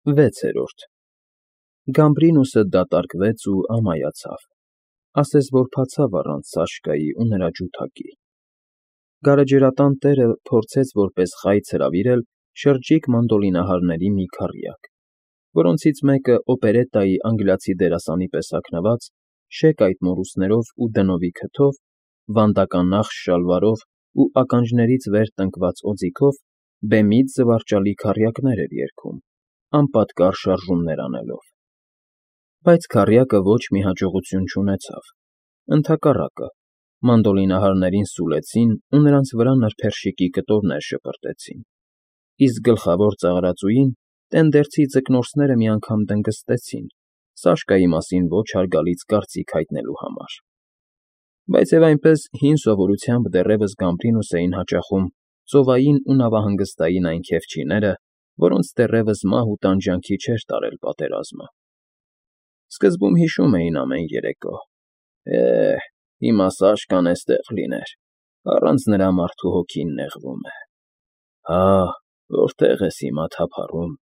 6-րդ Գամբրինուսը դատարկվեց ու ամայացավ, ասես որ փացավ առանց Սաշկայի ու նրա ջութակի։ Գարեջրատան տերը փորձեց որպես խայծ հրավիրել շրջիկ մանդոլինահարների մի քառյակ, որոնցից մեկը օպերետայի անգլիացի դերասանի պես հագնված, շեկ այդ մորուսներով ու դնովի քթով, վանդականախշ շալվարով ու ականջներից վեր տնկված օձիքով բեմից զվարճալի քառյակներ էր երգում, անպատկառ շարժումներ անելով։ Բայց քառյակը ոչ մի հաջողություն չունեցավ, ընդհակառակը, մանդոլինահարներին սուլեցին ու նրանց վրա նրբերշիկի կտորներ շպրտեցին, իսկ գլխավոր ծաղրածուին տենդերցի ձկնորսները մի անգամ դնգստեցին, Սաշկայի մասին ոչ հարգալից կարծիք հայտնելու համար։ Բայց և այնպես հին սովորությամբ դեռևս Գամբրինուս էին հաճախում ծովային ու նավահանգստային այն քեֆչիները, որոնց դեռևս մահ ու տանջանքի չէր տարել պատերազմը։ Սկզբում հիշում էին ամեն երեկո. հիմա Սաշկան էստեղ լիներ, առանց նրա մարդու հոգին նեղվում է։ Հա, որտե՞ղ ես հիմա թափառում,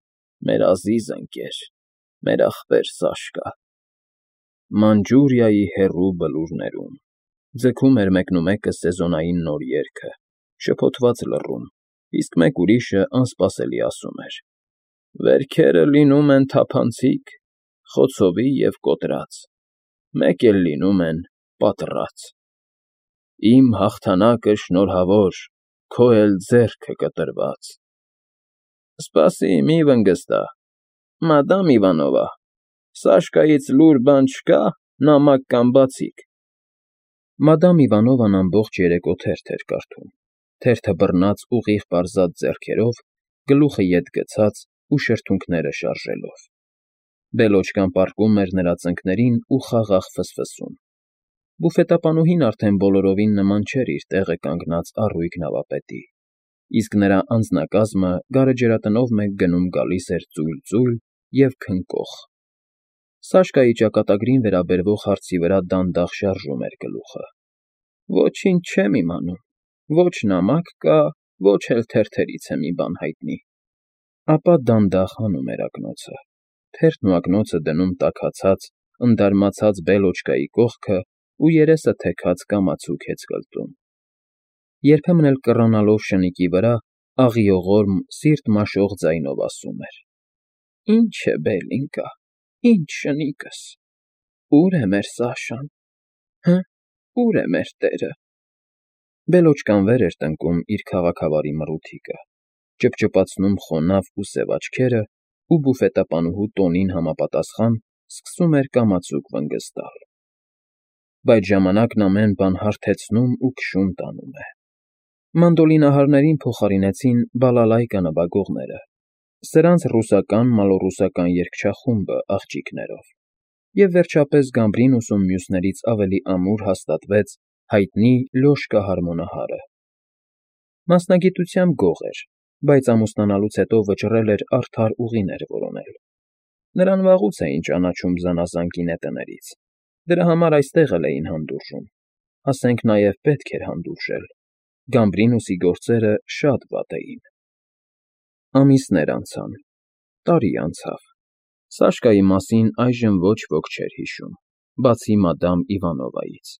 մեր ազիզ ընկեր, մեր ախպեր Սաշկա։ Մանջուրիայի հեռու բլուրներում ձգում էր մեկնումեկը սեզոնային նոր երգը, շփոթված լռում, իսկ մեկ ուրիշը անսպասելի ասում էր. Վերքերը լինում են թափանցիկ, խոցովի և կոտրած, մեկ էլ լինում են պատռած։ Իմ հաղթանակը շնորհավոր, քո էլ ձեռքը կտրված։ Սպասի, մի վնգստա, մադամ Իվանովա, Սաշկայից լուր բան չկա, նամակ կամ բացիկ։ Մադամ Իվանովան ամբողջ երեկո թերթ էր կարդում, թերթը բռնած ուղիղ պարզած ձեռքերով, գլուխը ետ գցած ու շրթունքները շարժելով։ Բելոչկան պառկում էր նրա ծնկներին ու խաղաղ ֆսֆսում։ Բուֆետապանուհին արդեն բոլորովին նման չէր իր տեղը կանգնած առույգ նավապետի, իսկ նրա անձնակազմը գարեջրատնով մեկ գնում֊գալիս էր ծույլ֊ծույլ և քնկող։ Սաշկայի ճակատագրին վերաբերվող հարցի վրա դանդաղ շարժում էր գլուխը։ Ոչինչ չեմ իմանում, ոչ նամակ կա, ոչ էլ թերթերից է մի բան հայտնի։ Ապա դանդաղ հանում էր ակնոցը, թերթն ու ակնոցը դնում տաքացած, ընդարմացած Բելոչկայի կողքը ու երեսը թեքած կամացուկ հեծկլտում։ Երբեմն էլ կռանալով շնիկի վրա, աղիողորմ, սիրտ մաշող ձայնով ասում էր. Ինչ է Բելինկա, ինչ շնիկս, ուր է մեր Սաշան, ուր է մեր տերը։ Բելոչկան վեր էր տնկում իր քաղաքավարի մռութիկը, ճպճպացնում խոնավ ու սև աչքերը ու բուֆետապանուհու տոնին համապատասխան սկսում էր կամացուկ վնգստալ։ Բայց ժամանակն ամեն բան հարթեցնում ու քշում տանում է։ Մանդոլինահարներին փոխարինեցին բալալայկա նվագողները, սրանց ռուսական երգչախումբը աղջիկներով, և վերջապես Գամբրինուսում մյուսներից ավելի ամուր հաստատվեց հայտնի Լյոշկա հարմոնահարը։ Մասնագիտությամբ գող էր, բայց ամուսնանալուց հետո վճռել էր արդար ուղիներ որոնել։ Նրան վաղուց էին ճանաչում զանազան գինետներից, դրա համար այստեղ էլ էին հանդուրժում, ասենք նաև պետք էր հանդուրժել, Գամբրինուսի գործերը շատ վատ էին։ Ամիսներ անցան, տարի անցավ, Սաշկայի մասին այժմ ոչ ոք չէր հիշում, բացի մադամ Իվանովայից,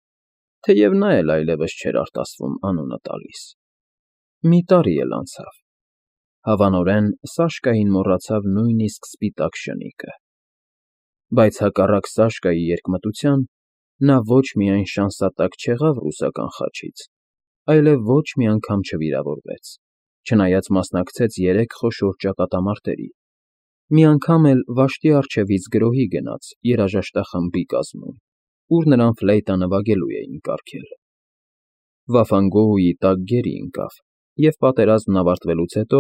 թեև նա էլ այլևս չէր արտասվում անունը տալիս։ Մի տարի էլ անցավ, հավանորեն Սաշկային մոռացավ նույնիսկ սպիտակ շնիկը։ Բայց հակառակ Սաշկայի երկմտության, նա ոչ միայն շանսատակ չեղավ ռուսական խաչից, այլև ոչ մի անգամ չվիրավորվեց, չնայած մասնակցեց 3 խոշոր ճակատամարտերի, մի անգամ էլ վաշտի առջևից գրոհի գնաց երաժշտախմբի կազմում, ուր նրան ֆլեյտա նվագելու էին կարգել։ Վաֆանգոհուի տակ գերի ընկավ, և պատերազմն ավարտվելուց հետո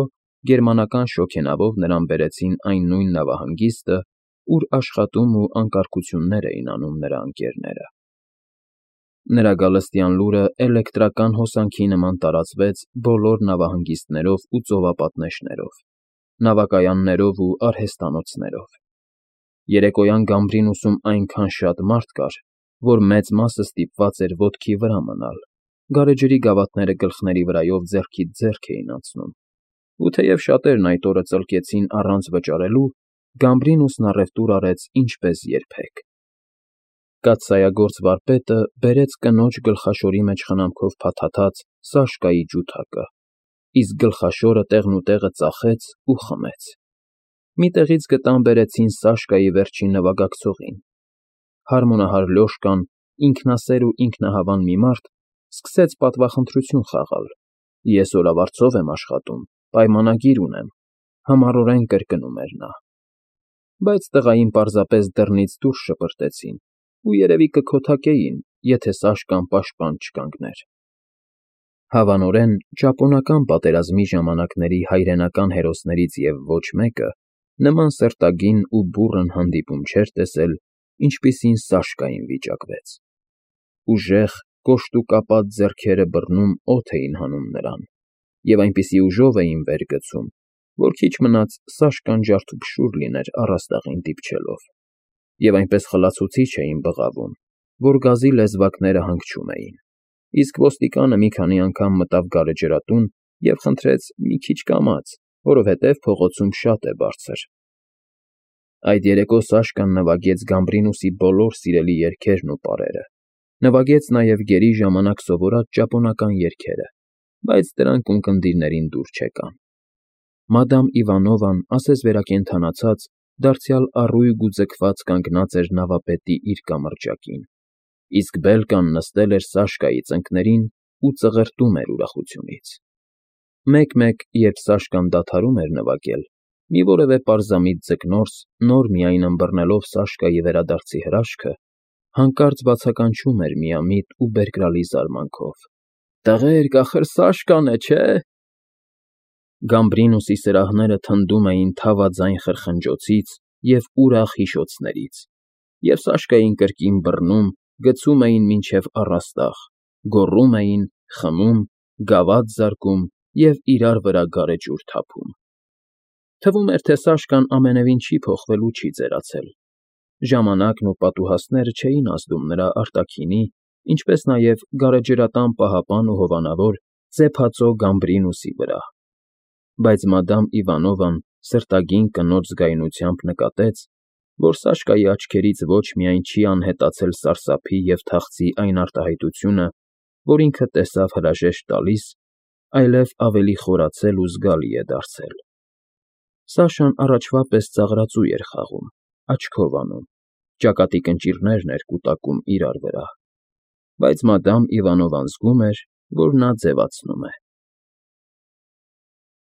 գերմանական շոգենավով նրան բերեցին այն նույն նավահանգիստը, ուր աշխատում ու անկարգություններ էին անում նրա ընկերները։ Նրա գալստյան լուրը էլեկտրական հոսանքի նման տարածվեց բոլոր նավահանգիստներով ու ծովապատնեշներով, նավակայաններով ու արհեստանոցներով։ Երեկոյան Գամբրինուսում այնքան շատ մարդ կար, որ մեծ մասը ստիպված էր ոտքի վրա մնալ, գարեջրի գավաթները գլխների վրայով ձեռքից ձեռք էին անցնում, ու թեև շատերն այդ օրը ծլկեցին առանց վճարելու, Գամբրինուսն առևտուր արեց ինչպես երբեք։ Կաթսայագործ վարպետը բերեց կնոջ գլխաշորի մեջ խնամքով փաթաթած Սաշկայի ջութակը, իսկ գլխաշորը տեղնուտեղը ծախեց ու խմեց։ Մի տեղից գտան բերեցին Սաշկայի վերջին նվագակցողին։ Հարմոնահար Լյոշկան, ինքնասեր ու ինքնահավան մի մարդ, սկսեց պատվախնդրություն խաղալ. «Ես օրավարձով եմ աշխատում, պայմանագիր ունեմ», համառորեն կրկնում էր նա։ Բայց տղային պարզապես դռնից դուրս շպրտեցին ու երևի կքոթակեին, եթե Սաշկան պաշտպան չկանգներ։ Հավանորեն, ճապոնական պատերազմի ժամանակների հայրենական հերոսներից և ոչ մեկը նման սրտագին ու բուռն հանդիպում չէր տեսել, ինչպիսին Սաշկային վիճակվեց։ Ուժեղ, կոշտուկապատ ձեռքերը բռնում օդ էին հանում նրան և այնպիսի ուժով էին վեր գցում, որ քիչ մնաց Սաշկան ջարդուփշուր լիներ առաստաղին դիպչելով, և այնպես խլացուցիչ էին բղավում, որ գազի լեզվակները հանգչում էին, իսկ ոստիկանը մի քանի անգամ մտավ գարեջրատուն և խնդրեց մի քիչ կամաց, որովհետև փողոցում շատ է բարձր։ Այդ երեկո Սաշկան նվագեց Գամբրինուսի բոլոր սիրելի երգերն ու պարերը, նվագեց նաև գերի ժամանակ սովորած ճապոնական երգերը, բայց դրանք ունկնդիրներին դուր չեկան։ Մադամ Իվանովան, ասես վերակենդանացած, դարձյալ առույգ ու ձգված կանգնած էր նավապետի իր կամրջակին, իսկ Բելկան նստել էր Սաշկայի ծնկներին ու ծղրտում էր ուրախությունից։ Մեկ֊մեկ, երբ Սաշկան դադարում էր նվագել, մի որևէ պարզամիտ ձկնորս, նոր միայն ըմբռնելով Սաշկայի վերադարձի հրաշքը, հանկարծ բացականչում էր միամիտ ու բերկրալի զարմանքով. «Տղերք, ախր Սաշկան է, չէ՞»։ Գամբրինուսի սրահները թնդում էին թավաձայն խրխնջոցից և ուրախ հիշոցներից, և Սաշկային կրկին բռնում, գցում էին մինչև առաստաղ, գոռում էին, խմում, գավաթ զարկում և իրար վրա գարեջուր թափում։ Թվում էր, թե Սաշկան ամենևին չի փոխվել ու չի ծերացել։ Ժամանակն ու պատուհասները չէին ազդում նրա արտաքինի, ինչպես նաև գարեջրատան պահապան ու հովանավոր ծեփածո Գամբրինուսի վրա։ Բայց մադամ Իվանովան սրտագին կնոջ զգայունությամբ նկատեց, որ Սաշկայի աչքերից ոչ միայն չի անհետացել սարսափի և թախծի այն արտահայտությունը, որ ինքը տեսավ հրաժեշտ տալիս, այլև ավելի խորացել ու զգալի է դարձել։ Սաշան առաջվա պես ծաղրածու էր խաղում, աչքով անում, ճակատի կնճիռներն էր կուտակում իրար վրա, բայց մադամ Իվանովան զգում էր, որ նա ձևացնում է։